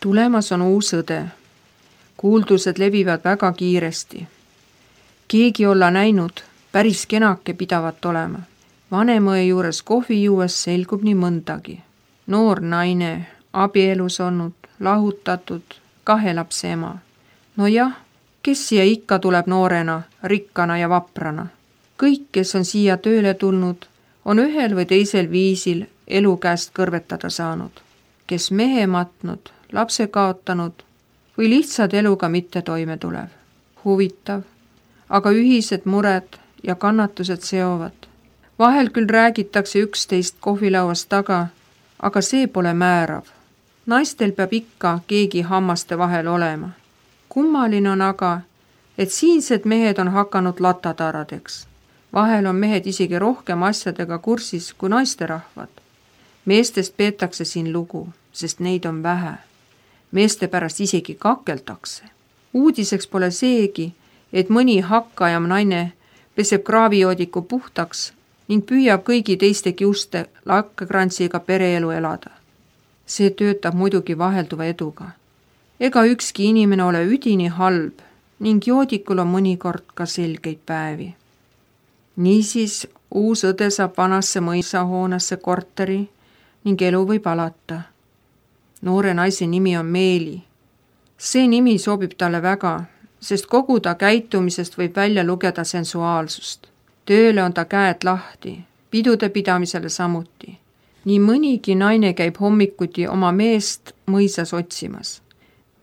Tulemas on uus õde. Kuuldused levivad väga kiiresti. Keegi olla näinud, päris kenake pidavat olema. Vanemõe juures kohvi juues selgub nii mõndagi. Noor naine, abielus olnud, lahutatud, 2 lapse ema. No jah, kes siia ikka tuleb noorena, rikkana ja vaprana? Kõik, kes on siia tööle tulnud, on ühel või teisel viisil elu käest kõrvetada saanud. Kes mehe matnud, lapse kaotanud või lihtsalt eluga mitte toime tulev. Huvitav, aga ühised mured ja kannatused seovad. Vahel küll räägitakse üksteist kohvilauast taga, aga see pole määrav. Naistel peab ikka keegi hammaste vahel olema. Kummaline on aga, et siinsed mehed on hakanud latataradeks. Vahel on mehed isegi rohkem asjadega kursis kui naisterahvad. Meestest peetakse siin lugu, sest neid on vähe. Meeste pärast isegi kakeldakse. Uudiseks pole seegi, et mõni hakkajam naine peseb kraavijoodiku puhtaks ning püüab kõigi teiste kiuste lakkekrantsiga pereelu elada. See töötab muidugi vahelduva eduga. Ega ükski inimene ole üdini halb ning joodikul on mõnikord ka selgeid päevi. Niisiis uus õde saab vanasse mõisahoonesse korteri ning elu võib alata. Noore naise nimi on Meeli. See nimi sobib talle väga, sest kogu ta käitumisest võib välja lugeda sensuaalsust. Tööle on ta käed lahti, pidude pidamisele samuti. Nii mõnigi naine käib hommikuti oma meest mõisas otsimas.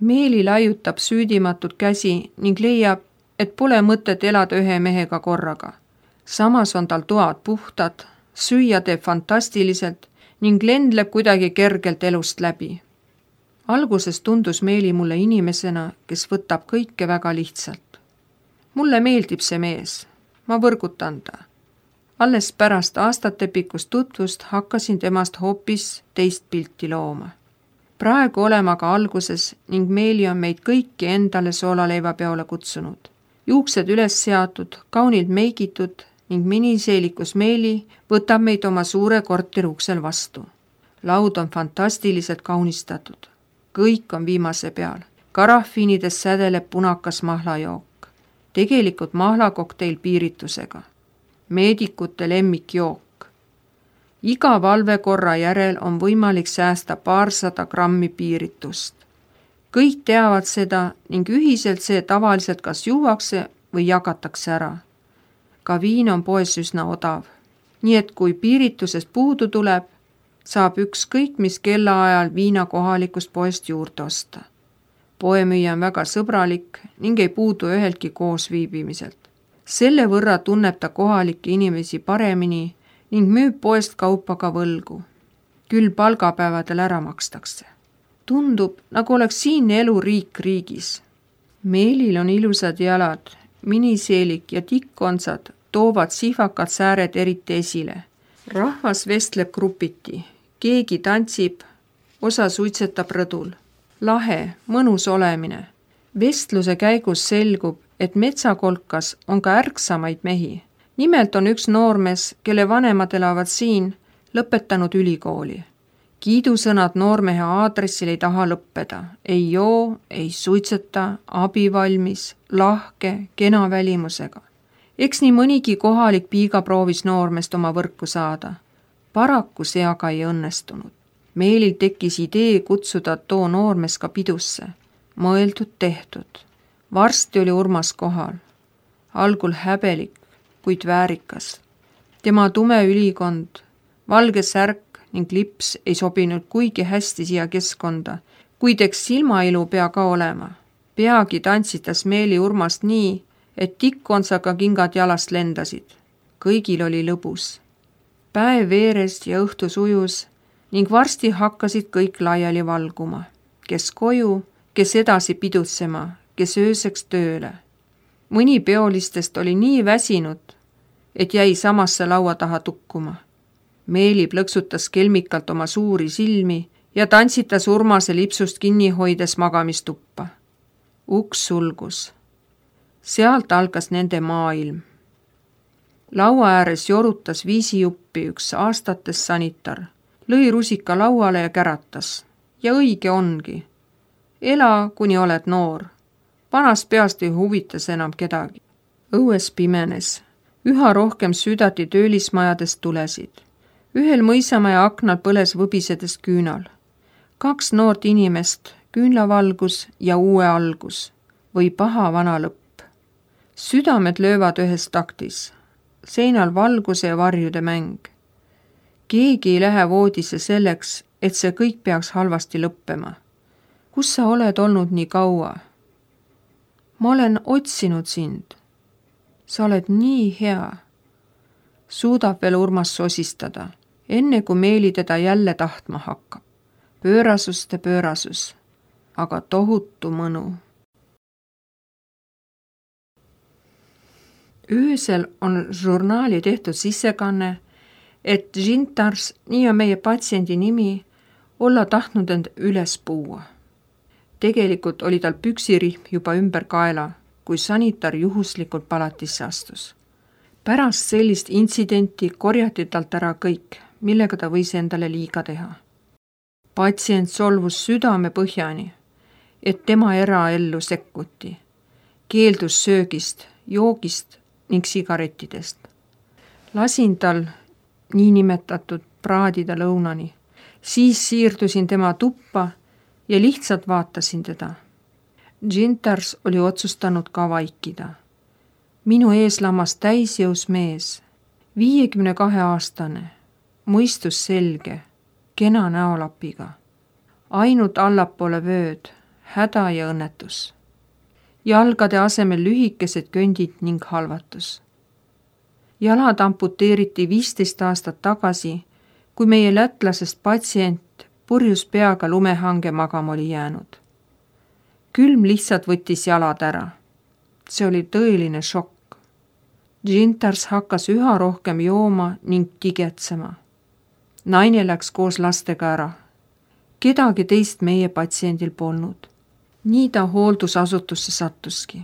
Meeli laiutab süüdimatult käsi ning leiab, et pole mõtet elada ühe mehega korraga. Samas on tal toad puhtad, süüa teeb fantastiliselt ning lendleb kuidagi kergelt elust läbi. Alguses tundus Meeli mulle inimesena, kes võtab kõike väga lihtsalt. Mulle meeldib see mees, ma võrgutan ta. Alles pärast aastatepikkust tutvust hakkasin temast hoopis teist pilti looma. Praegu olema ka alguses ning Meeli on meid kõiki endale soolaleiva peole kutsunud. Juuksed üles seatud, kaunilt meigitud ning miniseelikus Meeli võtab meid oma suure korteri uksel vastu. Laud on fantastiliselt kaunistatud. Kõik on viimase peal. Karafiinides sädeleb punakas mahlajook. Tegelikult mahlakokteil piiritusega. Meedikute lemmikjook. Iga valvekorra järel on võimalik säästa 200 grammi piiritust. Kõik teavad seda ning ühiselt see tavaliselt kas juuakse või jagatakse ära. Ka viin on poes üsna odav. Nii et kui piiritusest puudu tuleb, saab ükskõik mis kellaajal viina kohalikust poest juurde osta. Poemüüja on väga sõbralik ning ei puudu üheltki koos viibimiselt. Selle võrra tunneb ta kohalikke inimesi paremini ning müüb poest kaupa ka võlgu. Küll palgapäevadel ära makstakse. Tundub, nagu oleks siinne elu riik riigis. Meelil on ilusad jalad, miniseelik ja tikkontsad toovad sihvakad sääred eriti esile. Rahvas vestleb grupiti, keegi tantsib, osa suitsetab rõdul. Lahe, mõnus olemine. Vestluse käigus selgub, et metsakolkas on ka ärksamaid mehi. Nimelt on üks noormees, kelle vanemad elavad siin, lõpetanud ülikooli. Kiidusõnad noormehe aadressil ei taha lõppeda. Ei joo, ei suitseta, abivalmis, lahke, kena välimusega. Eks nii mõnigi kohalik piiga proovis noormest oma võrku saada. Paraku see aga ei õnnestunud. Meelil tekkis idee kutsuda too noormees ka pidusse. Mõeldud tehtud. Varsti oli Urmas kohal. Algul häbelik, kuid väärikas. Tema tume ülikond, valge särk ning lips ei sobinud kuigi hästi siia keskkonda, kuid eks silmailu pea ka olema. Peagi tantsitas Meeli Urmast nii, et tikkontsaga kingad jalast lendasid. Kõigil oli lõbus. Päev veeres ja õhtu sujus ning varsti hakkasid kõik laiali valguma. Kes koju, kes edasi pidutsema, kes ööseks tööle. Mõni peolistest oli nii väsinud, et jäi samasse laua taha tukkuma. Meeli plõksutas kelmikalt oma suuri silmi ja tantsitas Urmase lipsust kinni hoides magamistuppa. Uks sulgus. Sealt algas nende maailm. Laua ääres jorutas viisijuppi üks aastates sanitar. Lõi rusika lauale ja käratas. Ja õige ongi. Ela, kuni oled noor. Vanast peast ei huvitas enam kedagi. Õues pimenes. Üha rohkem südati töölismajadest tulesid. Ühel mõisamaja aknal põles võbisedes küünal. 2 noort inimest, küünlavalgus ja uue algus või paha vana lõpp. Südamed löövad ühes taktis. Seinal valguse ja varjude mäng. Keegi ei lähe voodisse selleks, et see kõik peaks halvasti lõppema. Kus sa oled olnud nii kaua? Ma olen otsinud sind. Sa oled nii hea. Suudab veel Urmas sosistada, enne kui Meeli teda jälle tahtma hakkab. Pöörasust ja pöörasus, aga tohutu mõnu. Öösel on žurnaali tehtud sissekanne, et Žintars, nii on meie patsiendi nimi, olla tahtnud end üles puua. Tegelikult oli tal püksirihm juba ümber kaela, kui sanitar juhuslikult palatisse astus. Pärast sellist intsidenti korjati talt ära kõik, millega ta võis endale liiga teha. Patsient solvus südame põhjani, et tema eraellu sekkuti. Keeldus söögist, joogist ning sigarettidest. Lasin tal niinimetatud praadida lõunani. Siis siirdusin tema tuppa ja lihtsalt vaatasin teda. Žintars oli otsustanud ka vaikida. Minu ees lamas täisjõus mees, 52-aastane, mõistus selge, kena näolapiga. Ainult allapoole vööd, häda ja õnnetus. Jalgade asemel lühikesed kõndid ning halvatus. Jalad amputeeriti 15 aastat tagasi, kui meie lätlasest patsient purjus peaga lumehange magama oli jäänud. Külm lihtsalt võttis jalad ära. See oli tõeline šokk. Žintars hakkas üha rohkem jooma ning tigetsema. Naine läks koos lastega ära. Kedagi teist meie patsiendil polnud. Nii ta hooldusasutusse sattuski.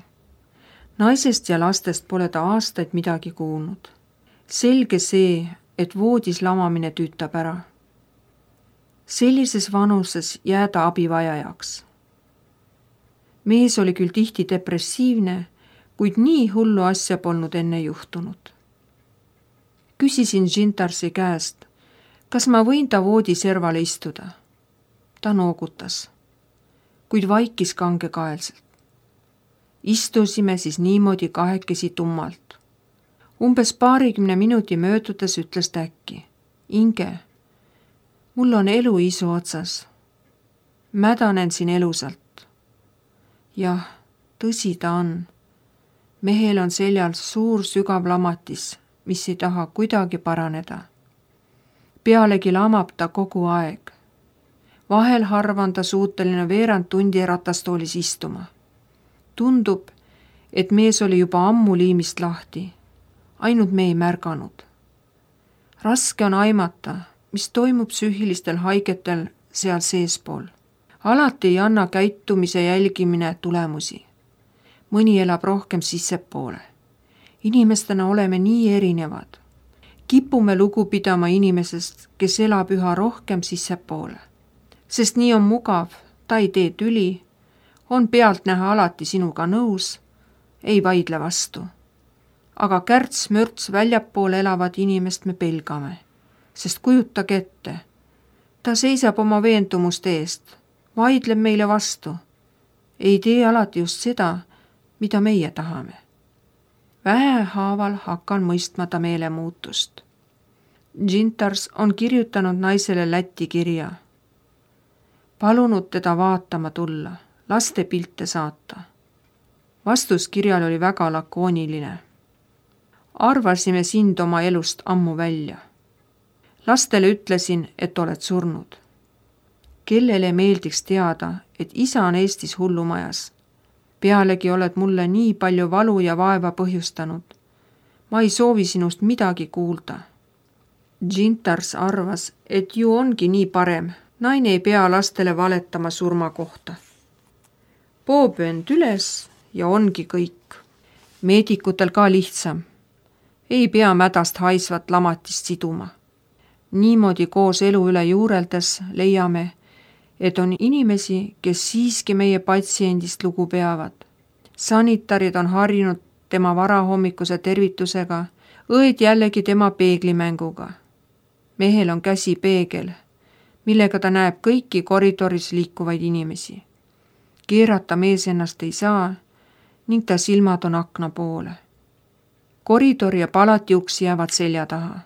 Naisest ja lastest pole ta aastaid midagi kuulnud. Selge see, et voodis lamamine tüütab ära. Sellises vanuses jääda abivajajaks. Mees oli küll tihti depressiivne, kuid nii hullu asja polnud enne juhtunud. Küsisin Žintarsi käest, kas ma võin ta voodi servale istuda. Ta noogutas, kuid vaikis kangekaelselt. Istusime siis niimoodi kahekesi tummalt. Umbes 20 minuti möödudes ütles ta äkki, Inge, mul on elu isu otsas. Mädanen siin elusalt. Jah, tõsi ta on. Mehel on seljal suur sügav lamatis, mis ei taha kuidagi paraneda. Pealegi lamab ta kogu aeg. Vahel harva on ta suuteline veerand tundi ratastoolis istuma. Tundub, et mees oli juba ammu liimist lahti. Ainult me ei märganud. Raske on aimata, mis toimub psüühilistel haigetel seal seespool. Alati ei anna käitumise jälgimine tulemusi. Mõni elab rohkem sissepoole. Inimestena oleme nii erinevad. Kipume lugu pidama inimesest, kes elab üha rohkem sissepoole. Sest nii on mugav, ta ei tee tüli, on pealtnäha alati sinuga nõus, ei vaidle vastu. Aga kärts-mörts väljapoole elavat inimest me pelgame, sest kujutage ette. Ta seisab oma veendumuste eest, vaidleb meile vastu. Ei tee alati just seda, mida meie tahame. Vähehaaval hakkan mõistma ta meelemuutust. Žintars on kirjutanud naisele Läti kirja. Palunud teda vaatama tulla, laste pilte saata. Vastus kirjal oli väga lakooniline. Arvasime sind oma elust ammu välja. Lastele ütlesin, et oled surnud. Kellele meeldiks teada, et isa on Eestis hullumajas. Pealegi oled mulle nii palju valu ja vaeva põhjustanud. Ma ei soovi sinust midagi kuulda. Žintars arvas, et ju ongi nii parem. Naine ei pea lastele valetama surma kohta. Pooböönd üles ja ongi kõik. Meedikutel ka lihtsam. Ei pea mädast haisvat lamatist siduma. Niimoodi koos elu üle juureldes leiame, et on inimesi, kes siiski meie patsiendist lugu peavad. Sanitarid on harjunud tema varahommikuse tervitusega, õed jällegi tema peeglimänguga. Mehel on käsi peegel, millega ta näeb kõiki koridoris liikuvaid inimesi. Keerata mees ennast ei saa ning ta silmad on akna poole. Koridor ja palati uks jäävad selja taha.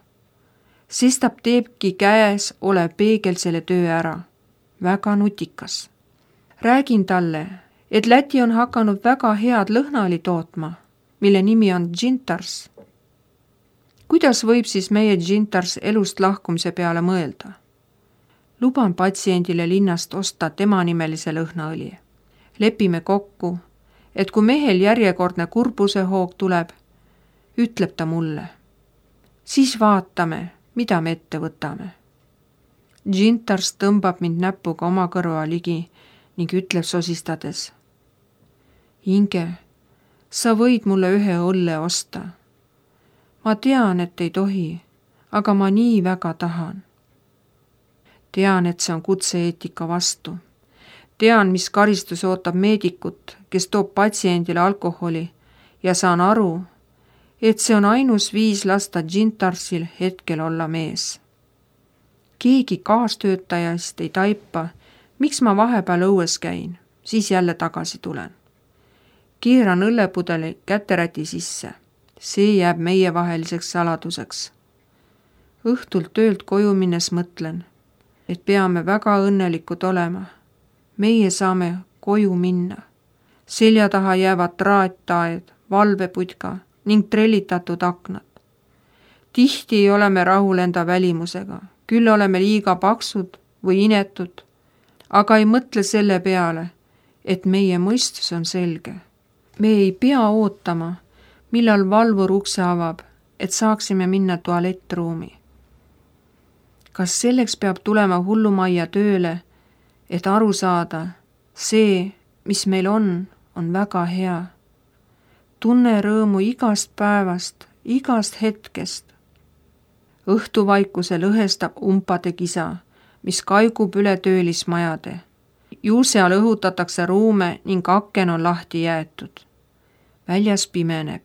Sestap teebki käes olev peegel selle töö ära. Väga nutikas. Räägin talle, et Läti on hakanud väga head lõhnaõli tootma, mille nimi on Džintars. Kuidas võib siis meie Džintars elust lahkumise peale mõelda? Luban patsiendile linnast osta tema nimelise lõhnaõli. Lepime kokku, et kui mehel järjekordne kurbuse hoog tuleb, ütleb ta mulle. Siis vaatame, mida me ette võtame. Džintars tõmbab mind näpuga oma kõrva ligi ning ütleb sosistades. Inge, sa võid mulle ühe õlle osta. Ma tean, et ei tohi, aga ma nii väga tahan. Tean, et see on kutse-eetika vastu. Tean, mis karistus ootab meedikut, kes toob patsiendile alkoholi ja saan aru, et see on ainus viis lasta Džintarsil hetkel olla mees. Keegi kaastöötajast ei taipa, miks ma vahepeal õues käin, siis jälle tagasi tulen. Keeran õllepudeli käteräti sisse. See jääb meie vaheliseks saladuseks. Õhtult töölt koju minnes mõtlen, et peame väga õnnelikud olema. Meie saame koju minna. Selja taha jäävad traattaed, valveputka ning trellitatud aknad. Tihti ei ole me rahul enda välimusega, küll oleme liiga paksud või inetud, aga ei mõtle selle peale, et meie mõistus on selge. Me ei pea ootama, millal valvur ukse avab, et saaksime minna tualettruumi. Kas selleks peab tulema hullumajja tööle, et aru saada, see, mis meil on väga hea. Tunne rõõmu igast päevast, igast hetkest. Õhtuvaikuse lõhestab umpade kisa, mis kaigub üle töölismajade. Ju seal õhutatakse ruume ning aken on lahti jäetud. Väljas pimeneb.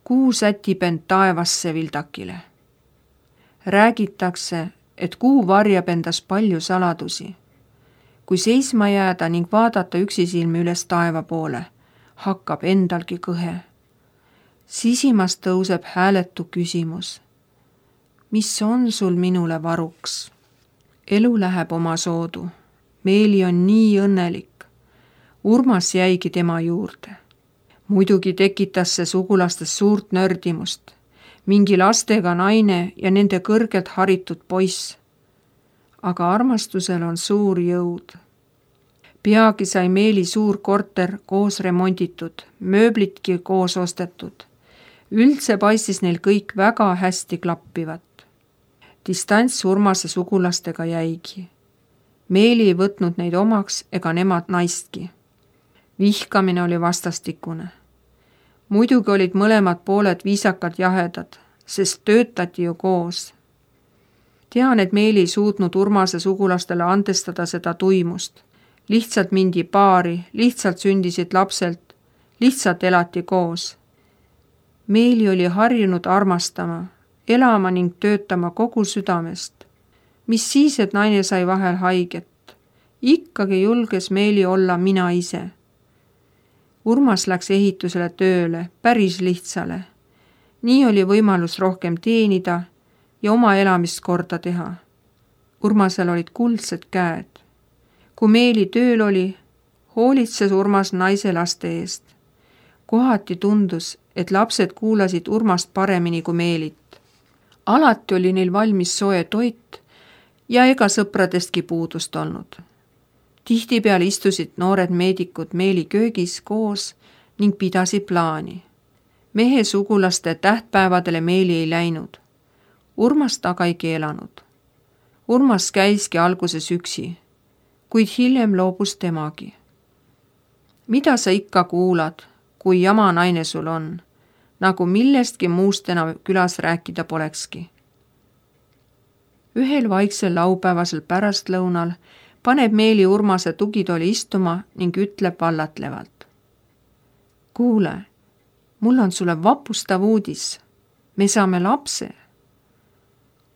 Kuu sätib end taevasse vildakile. Räägitakse, et kuu varjab endas palju saladusi. Kui seisma jääda ning vaadata üksisilmi üles taeva poole, hakkab endalgi kõhe. Sisimas tõuseb hääletu küsimus. Mis on sul minule varuks? Elu läheb oma soodu. Meeli on nii õnnelik. Urmas jäigi tema juurde. Muidugi tekitas see sugulastes suurt nördimust. Mingi lastega naine ja nende kõrgelt haritud poiss. Aga armastusel on suur jõud. Peagi sai Meeli suur korter koos remonditud, mööblitki koos ostetud. Üldse paistis neil kõik väga hästi klappivat. Distants Urmase sugulastega jäigi. Meeli ei võtnud neid omaks ega nemad naistki. Vihkamine oli vastastikune. Muidugi olid mõlemad pooled viisakalt jahedad, sest töötati ju koos. Tean, et Meeli ei suutnud Urmase sugulastele andestada seda tuimust. Lihtsalt mindi paari, lihtsalt sündisid lapselt, lihtsalt elati koos. Meeli oli harjunud armastama, elama ning töötama kogu südamest. Mis siis, et naine sai vahel haiget? Ikkagi julges Meeli olla mina ise. Urmas läks ehitusele tööle, päris lihtsale. Nii oli võimalus rohkem teenida ja oma elamist korda teha. Urmasel olid kuldsed käed. Kui Meeli tööl oli, hoolitses Urmas naise laste eest. Kohati tundus, et lapsed kuulasid Urmast paremini kui Meelit. Alati oli neil valmis soe toit ja ega sõpradestki puudust olnud. Tihtipeale istusid noored meedikud Meeli köögis koos ning pidasid plaani. Mehe sugulaste tähtpäevadele Meeli ei läinud. Urmas taga ei keelanud. Urmas käiski alguses üksi, kuid hiljem loobus temagi. Mida sa ikka kuulad, kui jama naine sul on, nagu millestki muust enam külas rääkida polekski. Ühel vaiksel laupäevasel pärastlõunal paneb Meeli Urmase tugitooli istuma ning ütleb vallatlevalt. Kuule, mul on sulle vapustav uudis. Me saame lapse.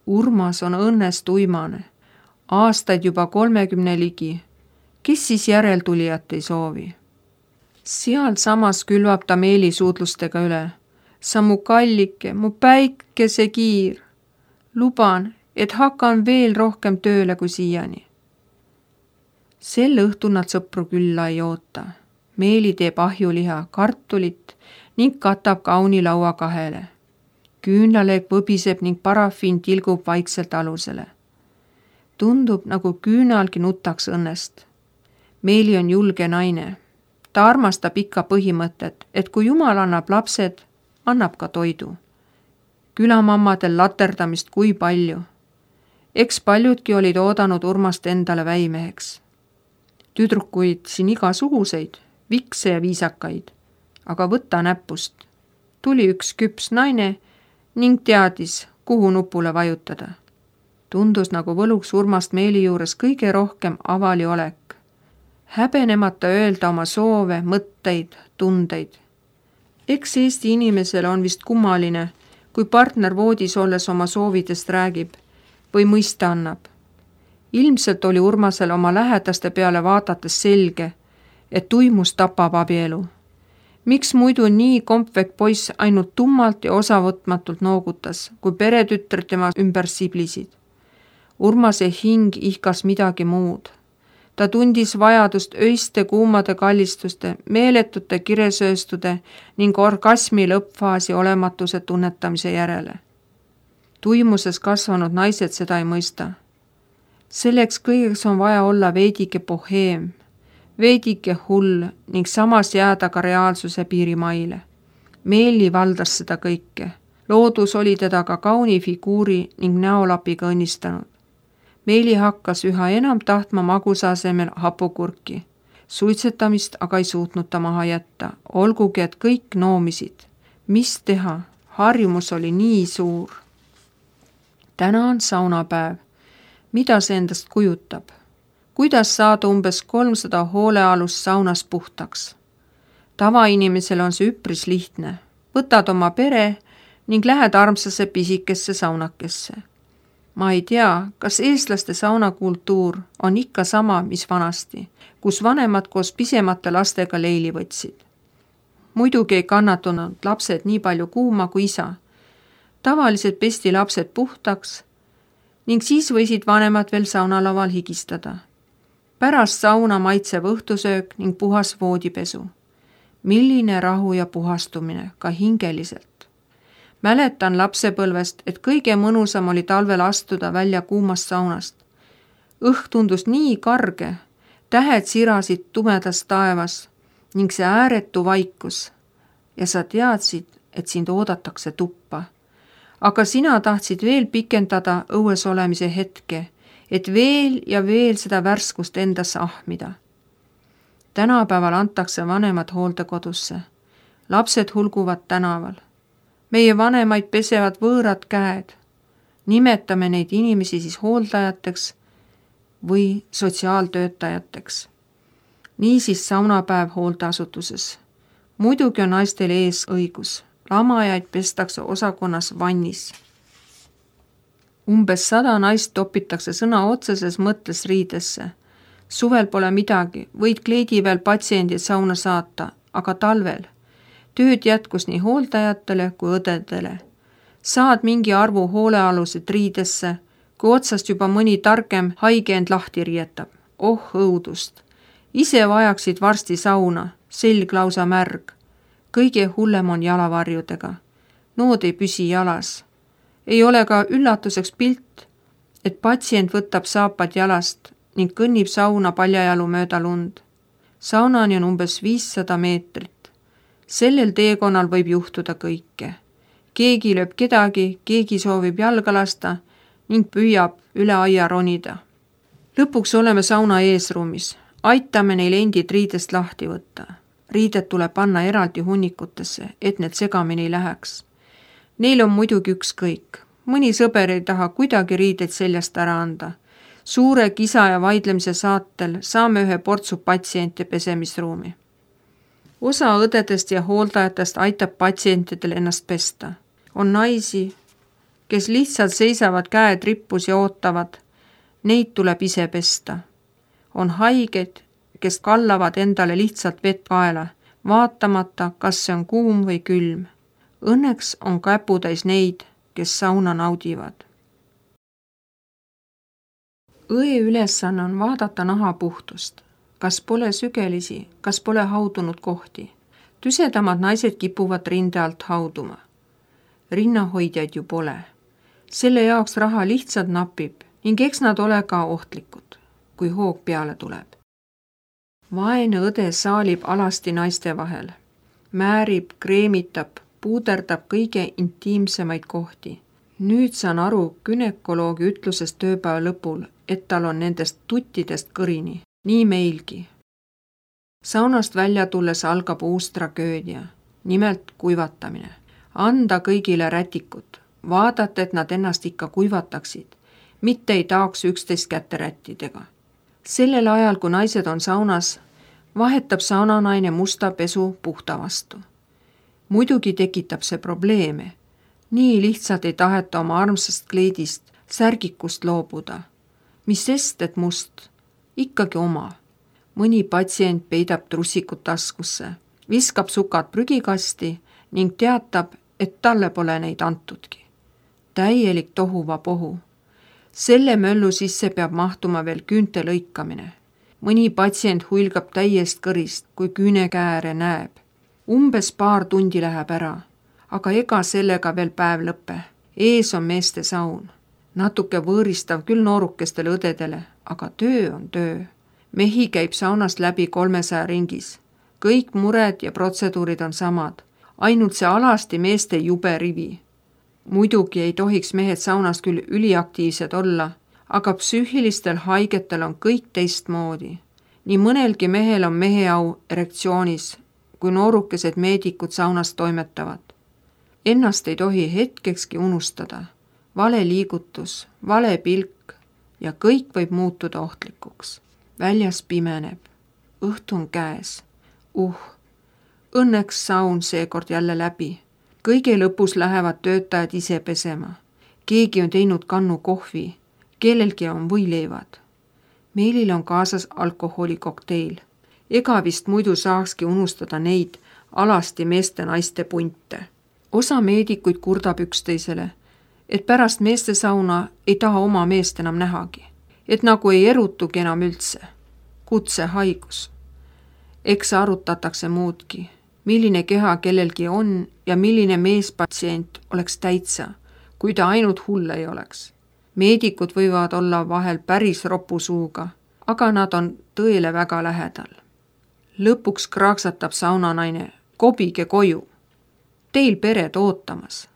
Urmas on õnnest uimane. Aastaid juba 30 ligi. Kes siis järeltulijat ei soovi? Seal samas külvab ta Meeli suudlustega üle. Sa mu kallike, mu päikesekiir. Luban, et hakkan veel rohkem tööle kui siiani. Sel õhtul nad sõpru külla ei oota. Meeli teeb ahjuliha, kartulit ning katab kauni laua kahele. Küünlaleeg võbiseb ning parafiin tilgub vaikselt alusele. Tundub, nagu küünalgi nutaks õnnest. Meeli on julge naine. Ta armastab ikka põhimõtet, et kui Jumal annab lapsed, annab ka toidu. Külamammadel laterdamist kui palju. Eks paljudki olid oodanud Urmast endale väimeheks. Tüdrukuid siin igasuguseid, vikse ja viisakaid, aga võta näpust. Tuli üks küps naine ning teadis, kuhu nupule vajutada. Tundus, nagu võluks Urmast Meeli juures kõige rohkem avali olek. Häbenemata öelda oma soove, mõtteid, tundeid. Eks Eesti inimesele on vist kummaline, kui partner voodis olles oma soovidest räägib või mõista annab. Ilmselt oli Urmasel oma lähedaste peale vaadates selge, et tuimus tapab abielu. Miks muidu nii kompvek poiss ainult tummalt ja osavõtmatult noogutas, kui peretütred tema ümber siblisid? Urmase hing ihkas midagi muud. Ta tundis vajadust öiste kuumade kallistuste, meeletute kiresööstude ning orgasmi lõppfaasi olematuse tunnetamise järele. Tuimuses kasvanud naised seda ei mõista. Selleks kõigeks on vaja olla veidike boheem, veidike hull ning samas jääda ka reaalsuse piirimaile. Meeli valdas seda kõike. Loodus oli teda ka kauni figuuri ning näolapiga õnnistanud. Meeli hakkas üha enam tahtma magusa asemel hapukurki. Suitsetamist aga ei suutnud ta maha jätta, olgugi et kõik noomisid. Mis teha? Harjumus oli nii suur. Täna on saunapäev. Mida see endast kujutab? Kuidas saada umbes 300 hoolealust saunas puhtaks? Tavainimesel on see üpris lihtne. Võtad oma pere ning lähed armsase pisikesse saunakesse. Ma ei tea, kas eestlaste saunakultuur on ikka sama, mis vanasti, kus vanemad koos pisemate lastega leili võtsid. Muidugi ei kannatunud lapsed nii palju kuuma kui isa. Tavaliselt pesti lapsed puhtaks ning siis võisid vanemad veel saunalaval higistada. Pärast sauna maitsev õhtusöök ning puhas voodipesu. Milline rahu ja puhastumine, ka hingeliselt. Mäletan lapsepõlvest, et kõige mõnusam oli talvel astuda välja kuumast saunast. Õhk tundus nii karge, tähed sirasid tumedas taevas ning see ääretu vaikus. Ja sa teadsid, et sind oodatakse tuppa. Aga sina tahtsid veel pikendada õues olemise hetke, et veel ja veel seda värskust endasse ahmida. Tänapäeval antakse vanemad hooldekodusse. Lapsed hulguvad tänaval. Meie vanemaid pesevad võõrad käed. Nimetame neid inimesi siis hooldajateks või sotsiaaltöötajateks. Niisiis saunapäev hooldeasutuses. Muidugi on naistel ees õigus. Lamajaid pestakse osakonnas vannis. Umbes 100 naist topitakse sõna otseses mõttes riidesse. Suvel pole midagi, võid kleediväel patsiendid sauna saata, aga talvel. Tööd jätkus nii hooldajatele kui õdedele. Saad mingi arvu hoolealused riidesse, kui otsast juba mõni targem haige end lahti riietab. Oh õudust! Ise vajaksid varsti sauna, selg lausa märg. Kõige hullem on jalavarjudega. Nood ei püsi jalas. Ei ole ka üllatuseks pilt, et patsient võtab saapad jalast ning kõnnib sauna paljajalu mööda lund. Saunani on umbes 500 meetrit. Sellel teekonnal võib juhtuda kõike. Keegi lööb kedagi, keegi soovib jalga lasta ning püüab üle aia ronida. Lõpuks oleme sauna eesruumis. Aitame neil endid riidest lahti võtta. Riided tuleb panna eraldi hunnikutesse, et need segamini ei läheks. Neil on muidugi ükskõik. Mõni sõber ei taha kuidagi riideid seljast ära anda. Suure kisa ja vaidlemise saatel saame ühe portsu patsiente pesemisruumi. Osa õdedest ja hooldajatest aitab patsientidel ennast pesta. On naisi, kes lihtsalt seisavad käed rippus ja ootavad. Neid tuleb ise pesta. On haigeid, kes kallavad endale lihtsalt vett kaela, vaatamata, kas see on kuum või külm. Õnneks on käputäis neid, kes sauna naudivad. Õe ülesanne on vaadata naha puhtust. Kas pole sügelisi, kas pole haudunud kohti. Tüsedamad naised kipuvad rinde alt hauduma. Rinnahoidjaid ju pole. Selle jaoks raha lihtsalt napib ning eks nad ole ka ohtlikud, kui hoog peale tuleb. Vaene õde saalib alasti naiste vahel. Määrib, kreemitab, puuderdab kõige intiimsemaid kohti. Nüüd saan aru günekoloogi ütlusest tööpäeva lõpul, et tal on nendest tuttidest kõrini. Nii meilgi. Saunast välja tulles algab uus tragöödia, nimelt kuivatamine. Anda kõigile rätikut, vaadata, et nad ennast ikka kuivataksid, mitte ei taaks üksteist kätte rättidega. Sellel ajal, kui naised on saunas, vahetab saunanaine musta pesu puhta vastu. Muidugi tekitab see probleeme. Nii lihtsalt ei taheta oma armsast kleidist, särgikust loobuda. Mis sest, et must? Ikkagi oma. Mõni patsient peidab trussikut taskusse, viskab sukad prügikasti ning teatab, et talle pole neid antudki. Täielik tohuvapohu. Selle möllu sisse peab mahtuma veel küünte lõikamine. Mõni patsient huilgab täiest kõrist, kui küünekääre näeb. Umbes paar tundi läheb ära, aga ega sellega veel päev lõppe. Ees on meeste saun. Natuke võõristav küll noorukestele õdedele, aga töö on töö. Mehi käib saunast läbi 300 ringis. Kõik mured ja protseduurid on samad. Ainult see alasti meeste jube rivi. Muidugi ei tohiks mehed saunas küll üliaktiivsed olla, aga psüühilistel haigetel on kõik teistmoodi. Nii mõnelgi mehel on meheau erektsioonis, kui noorukesed meedikud saunas toimetavad. Ennast ei tohi hetkekski unustada. Vale liigutus, vale pilk ja kõik võib muutuda ohtlikuks. Väljas pimeneb. Õhtu on käes. Õnneks saun seekord jälle läbi. Kõige lõpus lähevad töötajad ise pesema. Keegi on teinud kannu kohvi. Kellelgi on võileivad. Meilil on kaasas alkoholikokteil. Ega vist muidu saakski unustada neid alasti meeste-naiste punte. Osa meedikuid kurdab üksteisele, et pärast meeste sauna ei taha oma meest enam nähagi. Et nagu ei erutugi enam üldse. Kutsehaigus. Eks arutatakse muudki, milline keha kellelgi on ja milline meespatsient oleks täitsa, kui ta ainult hull ei oleks. Meedikud võivad olla vahel päris ropusuuga, aga nad on tõele väga lähedal. Lõpuks kraaksatab saunanaine, kobige koju. Teil pered ootamas.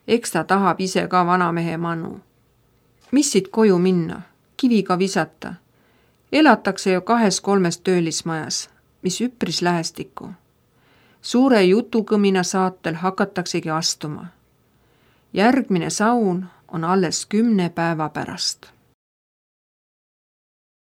Eks ta tahab ise ka vanamehe mannu. Mis siit koju minna? Kiviga visata. Elatakse ju 2-3 töölismajas, mis üpris lähestikku. Suure jutukõmina saatel hakataksegi astuma. Järgmine saun on alles 10 päeva pärast.